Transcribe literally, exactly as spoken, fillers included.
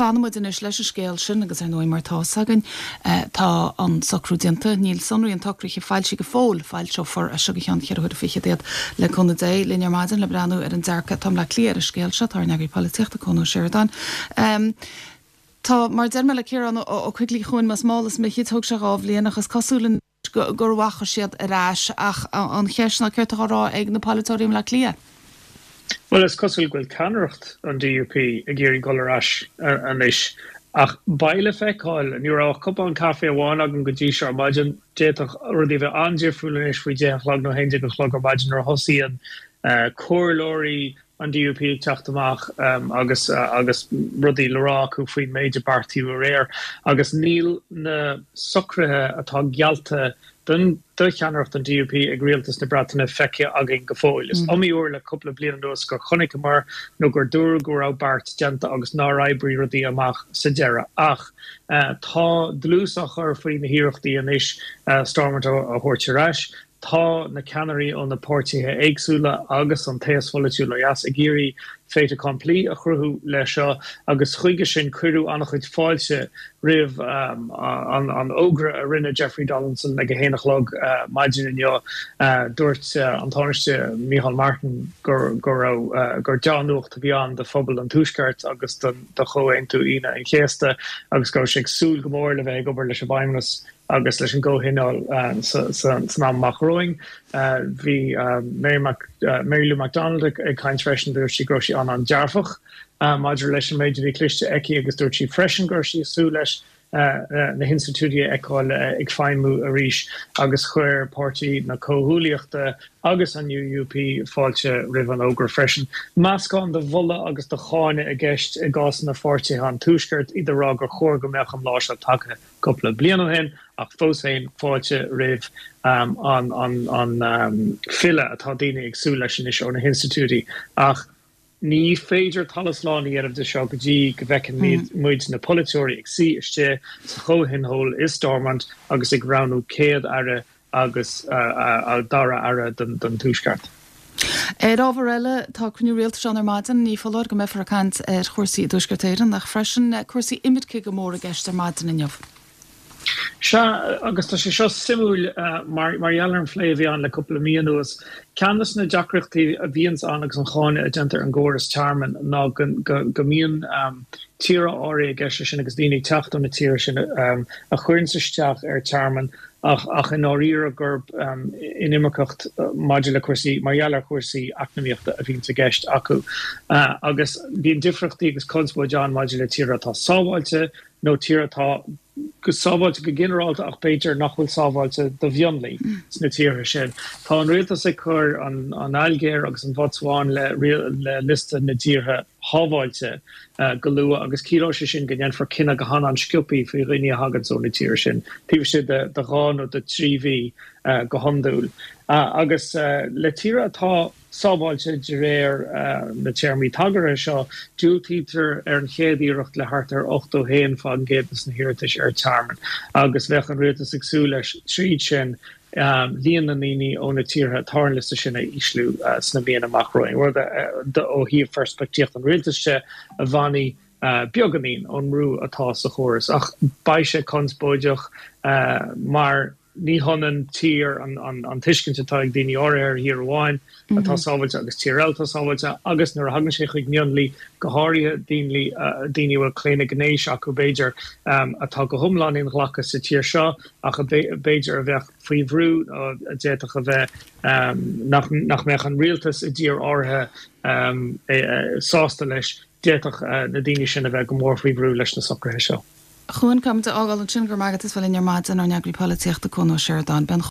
Fanfaidh muid anois leis an scéal sin agus ar ndóigh mar tá againn tá an socrú déanta níl sonraí an tsocraithe foilsithe go fóill foilseofar é seo go ceann ceithre huaire fichead iad le cúnamh Dé linn ar maidin le breathnú ar an dearcadh atá le cliar ar an scéal seo tá ár n-eagraí polaitíochta Cuan Ó Seireadáin. Um, Tá mar deir mé le Ciarán Ó Coigligh chuin mas málas mé thug sé dhá bhliain agus cosúil gur bhacha siad ar ais ach an cheist ná céard atá á rá ag na polaiteoirí le Cliath. Well is cosúil go bhfuil ceannaireacht an DUP ag iarraidh dul ar ais anois ach beidh le feiceáil ní raibh cupán caife amháin agam go dtí seo ar maidin d'fhéadfadh rudaí bheith an-difriúil anois faoi deich a chlog nó haon déag a chlog ar maidin nuair a thosaíonn comhairleoirí an DUP ag teacht amach um, agus uh, agus rudaí le rá acu faoin méid a beartaíodh aréir agus níl na socruithe atá geallta don do cheannaireacht an DUP ag rialtas na Breataine feicthe againn go fóill. Is mm. iomaí uair le cúpla bliain anuas gur chonaiceamar nó gur dúradh go raibh beart déanta agus nár oibrigh rudaí amach sa deireadh. Ach uh, tá dlús á chur faoi na hiarrachtaí anois uh, Stormont a thabhairt ar ais. Tá na ceannairí ó na páirtithe éagsúla agus an taos pholaitiúil ó dheas ag iarraidh fait accompli a chruthú le seo agus chuige sin cuireadh an-chuid fáilte roimh um, an, an fhógra a rinne Jeffrey Donaldson ag a haon a chlog uh, maidin inniu uh, dúirt uh, an Tánaiste Micheál Martin gur gur uh, gur dea-nuacht a bhí ann do phobal an Tuaiscirt agus don do Chomhaontú Aoine an Chéasta agus go sé súil go mór le bheith ag obair leis an bhFeidhmeannas agus leis an gcomhthionól uh, san am amach romhainn. Uh, bhí uh, Mary, Mac, uh, Mary Lou McDonald ag, ag caint freisin dúirt sí go raibh sí an an-dearfach uh, maidir leis an méid a bhí cloiste aici agus dúirt sí freisin gur sí súil leis uh, uh, na hinstitiúidí a fheiceáil uh, ag feidhmiú arís agus chuir páirtí na comhghuaillíochta agus an UUP fáilte roimh an fhógra freisin. Meascán de mholadh agus de cháineadh i gceist i gcás na pháirtithe an Tuaiscirt iad ag rá gur chóir go mbeadh an lá seo tagtha cúpla bliain ó shin ach fós féin fáilte roimh um, an, an, an um, filleadh atá daoine ag súil leis anois ó na hinstitiúidí ach ní féidir talamh slán a dhéanamh de seo go dtí go bhfeiceann mm. muid na polaiteoirí ag suí istigh sa chomhthionól i Stormont agus ag roghnú céad aire agus uh, uh, dara aire don, don Tuaisceart. Ar ábhar eile tá cruinniú rialtais ann ar maidin ní foláir go mbeifear ag caint ar chúrsaí i dTuaisceart Éireann ach freisin cúrsaí imirce go mór i gceist ar maidin inniu. Sea agus tá sé seo suimiúil uh, mar mar gheall ar an phlé a bhí ann le cúpla mí anuas. Ceann de na deacrachtaí a bhíonns ann agus an cháineadh a déantar an gcóras tearmainn ná go, go, go mbíonn um, tíortha áirithe i gceist sin agus daoine teacht ó na tíortha sin um, a chuireann isteach ar tearmann ach ach in áirithe gurb um, inimirceacht uh, maidir le cúrsaí mar gheall ar chúrsaí eacnamaíochta a bhíonn i gceist acu. Uh, agus bíonn difríochtaí agus conspóid ann maidir le tíortha atá sábháilte nó tíortha atá go sábháilte go ginearálta ach b'fhéidir nach bhfuil sábháilte do mhionlaigh mm. sna tíortha sin. Tá an rialtas ag cur an, an Ailgéir agus an Bhotsuáin le, le liosta na dtíortha sábháilte uh, go luath agus ciallóidh sé sin go ndéanfar cinneadh go han-sciobtha faoi dhaoine a thagann ó na tíortha sin. Taobh istigh de, de dhá nó de trí mhí uh, go hiondúil. Uh, agus uh, le tíortha atá sábháilte de réir uh, na téarmaí tagartha seo diúltaítear ar an chéad iarracht le thart ar ochtó haon faoin gcéad de na hiarratais ar tearmann agus bheadh an rialtas ag súil leis tríd sin um, líon na ndaoine ó na tíortha atá ar an liosta sin a ísliú uh, sna míonna amach romhainn. Rud uh, ó thaobh pheirspictíocht an rialtais se a bhainfeadh uh, beagáinín ón mbrú atá sa chóras ach beidh sé conspóideach uh, mar ní hionann tír an, an, an tuiscint atá ag daoine áirithe ar thír amháin mm -hmm. atá sábháilte agus tír eile atá sábháilte agus nuair a thagann sé chuig mionlaigh go háirithe daoine uh, daoine bhfuil claonadh gnéis acu b'fhéidir um, atá go hiomlán inghlactha sa tír seo ach b'fhéidir a bheith faoi bhrú a d'fhéadfadh a bheith um, nach, nach mbeadh an rialtas i dtír áirithe um, e, e, sásta leis d'fhéadfadh uh, na daoine sin a bheith go mór faoi bhrú leis na socruithe seo. Chuan cam de ágáil sin gur magat is bhfuil ar maidin ár n-eagraí polaitíochta Cuan Ó Seireadáin ben